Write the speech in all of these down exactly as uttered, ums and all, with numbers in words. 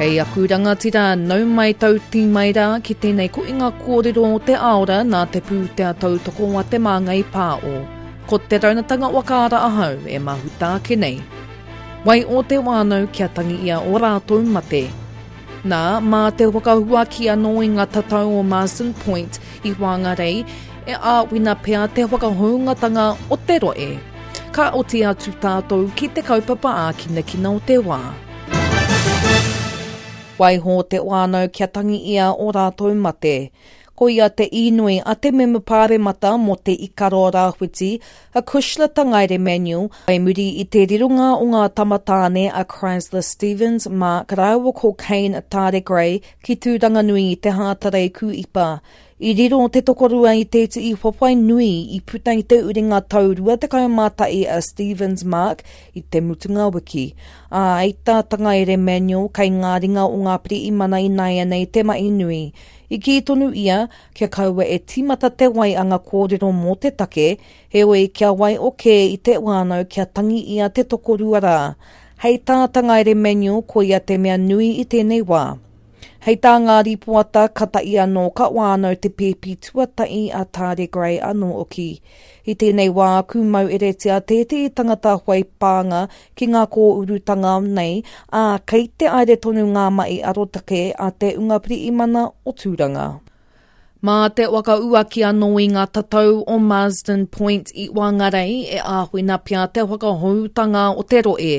Kei aku rangatira, nau mai tauti mai rā ki tēnei koinga kōrero o te aora nā te pūtea tautoko a te Māngai Pāo. Ko te raunatanga wakaara ahau e mahuta ake nei. Wai o te wānau kia tangi ia o rātou mate. Nā, mā te whakahuaki anō i ngā tatau o Marsden Point i Whangarei e āwina pea te whakahoungatanga o te roe. Ka oti atu tātou ki te kaupapa ākinakina o te wā. Waiho te wānau kia tangi ia o rātou mate. Ko ia te inoi a te mema pāremata mō te Ikaroa Rāwhiti, a Cushla Tangaere Manuel, whai muri i te rironga o ngā tamatāne a Chrysler Stevens, Mark rāua ko Kane Tare Gray ki Tūranganui i te Hātarei Kūipa. I riro te tokorua i te tii whawhai nui i puta i te uringa tau rua tekau mā tahi a Stevens Mark i te mutunga wiki. Ā, i tā Tangaere Manuel kei ngā ringa o ngā pirihimana ināianei te mahi nui. I kī tonu ia, kia kaua e tīmata te wai a ngā kōrero mō te take, heoi kia wai o kē i te wānau kia tangi ia te tokorua rā. Hei tā Tangaere Manuel koia te mea nui i tēnei wā. Hei tā ngā ripoata ka tahi anō ka wānau te pēpi tuatahi a Tare Gray anō oki. I tēnei wā kūmau eretia tētehi tangata whai pānga ki ngā kōurutanga nei, ā, kei te aere tonu ngā mahi arotake a te unga pirihimana o Tūranga. Mā te whakauaki anō i ngā tatau o Marsden Point i Whangarei e āwhina pea te whakahoutanga o te roe.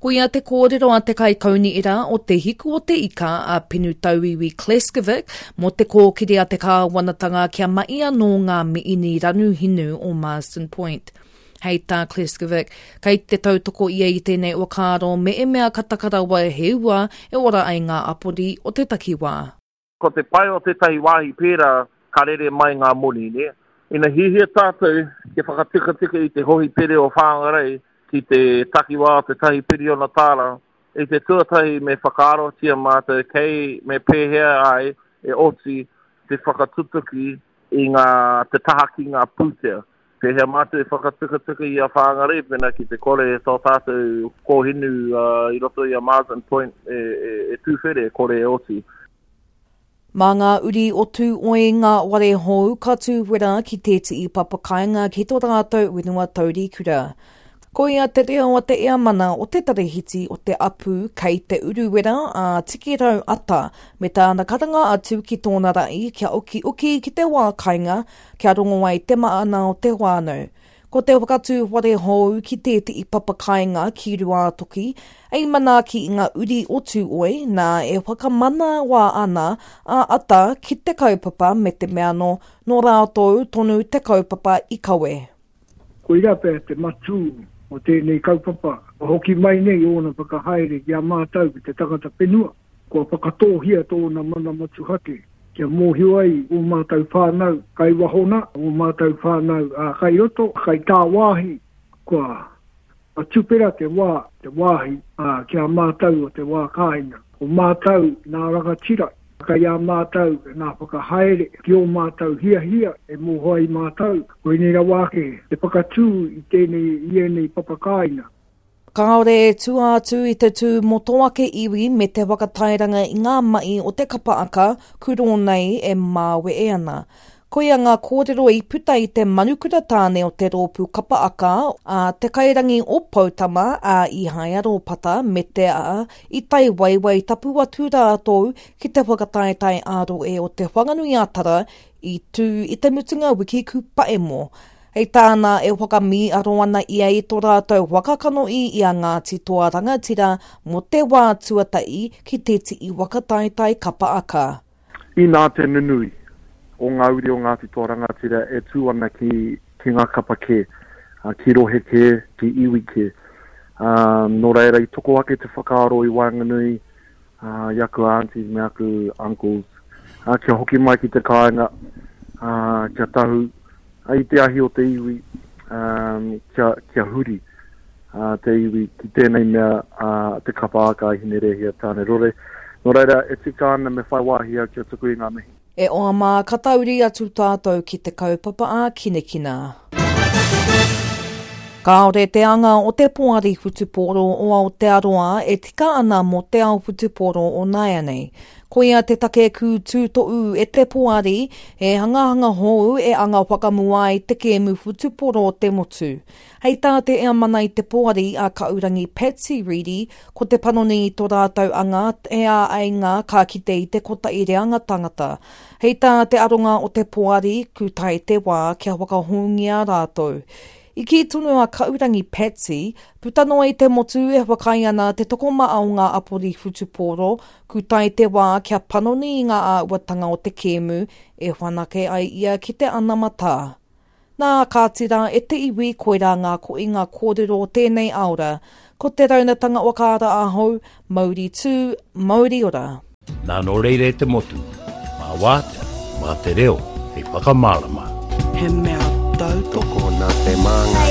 Koia te kōrero a te kaikaunihera o te Hiku o te Ika a Penu Tauiwi Kleskovic mō te kōkiri a te kāwanatanga kia mahi anō ngā miini ranu hinu o Marsden Point. Hei tā Kleskovic, kei te tautoko ia i tēnei whakaaro me e mea ka takarawa he ua e ora ai ngā apori o te takiwā. Ko te pai o tētahi wāhi pērā ka rere mai ngā moni, ne? Ina hihia tātou kia whakatikatika i te hohipere o Whangarei ki te takiwā o te tahi piriona tāra, i te tuatahi me whakaarotia mātou kei me pēhea ai e oti te whakatutuki i ngā, te taha ki ngā pūtea. Pēhea mātou e whakatikatika i a Whangarei, pēnā ki te kore tō tātou kōhinu uh, i roto i a Marsden Point e, e, e tūwhere, e kore e oti. Mā ngā uri o Tūoi ngā ware hou ka tūwera ki tētehi papakainga ki tō rātou whenua taurikura. Koia te reo a te eamana o te tarahiti o te apu kei te uruwera a Tikirau Ata me tāna karanga atu ki tōna rai kia oki oki ki te wā kainga kia rongo ai te maana o te wānau. Ko te whakatū whare hou ki tētehi papakainga ki Ruātoki, ei manaaki i ngā uri o Tūoi, nā e whakamana wā ana a Ata ki te kaupapa me te mea nō, nō rātou tonu te kaupapa i kawe. Koira pea te matū o tēnei kaupapa, o hoki mai nei ōna whakahaere ki a mātou ki te tangata whenua, kua whakatōhia tōna mana motuhake. Kia mōhio ai o mātou whānau kai wahona, o mātou whānau a kai roto, kai tāwāhi, kua tupera te wā, te wāhi a, ki a mātou o te wā kāinga. O mātou nā rangatira, kai a mātou nā whakahaere, ki o mātou hiahia e mōhio ai mātou, koinei rawa ake te whakatū i tēnei, i ēnei papakāinga. Kāore e tua atu i te tū mō tō ake iwi me te whakatairanga i ngā mahi o te kapa aka kuro nei e māwe e ana. Koia ngā kōrero i puta i te manukura tāne o te rōpū kapa aka a te kairangi o Poutama a Ihaia Rōpata me te a i tai waiwai tapu atu rātou ki te whakataetae ā-roe o te Whanganui-a-Tara i tū i te mutunga wiki kūpaemo. Hei tāna e whakamīaro ana ia i tō rātou whakakano i i a Ngāti Toa Rangatira mō te wā tuatahi ki te tii whakataetae kapa aka. Inā te nunui o ngā uri o Ngāti Toa Rangatira e tū ana ki, ki ngā kapa kē, ki rohe kē, ki iwi kē. Um, nō reira i toko ake te whakaaro i waenganui uh, i aku aunties me aku uncles, uh, kia hoki mai ki te kāinga, uh, kia tahu i te ahi o te iwi, um, kia, kia huri uh, te iwi ki tēnei mea uh, te kapa aka i Hinerehia Tāne Rore. Nō reira, e tika ana me whai wāhi au kia tuku i ngā mihi. E oa mā, ka tauri atu tātou ki te kaupapa a Kinekina. Kāore te anga o te poari whutupōro o Aotearoa e tika ana mō te ao whutupōro o nāianei. Koia te take kū tūtoʻu e te poari, he hangahanga hou e anga whakamua ai te kēmu whutupōro o te motu. Hei tā te heamana i te poari a Kaurangi Patsy Reddy, ko te panoni i tō rātou anga he āheinga ka kite i te kotahi reanga tangata. Hei tā te aronga o te poari, ku tae te wā kia whakahoungia rātou. I kī tonu a Kaurangi Patsy, puta noa i te motu e whakaae ana te tokomaha o ngā apori whutupōro, ku tae te wā kia panoni i ngā āhuatanga o te kēmu e whanake ai ia ki te anamata. Nā, kāti rā e te iwi koirā ngā koinga kōrero o tēnei aora. Ko te raunatanga whakaara ahau, mauri tū, mauri ora. Nā nō reira e te motu, mā wātea, mā te reo, hei whakamārama. He mea tautoko Tokona te māngai.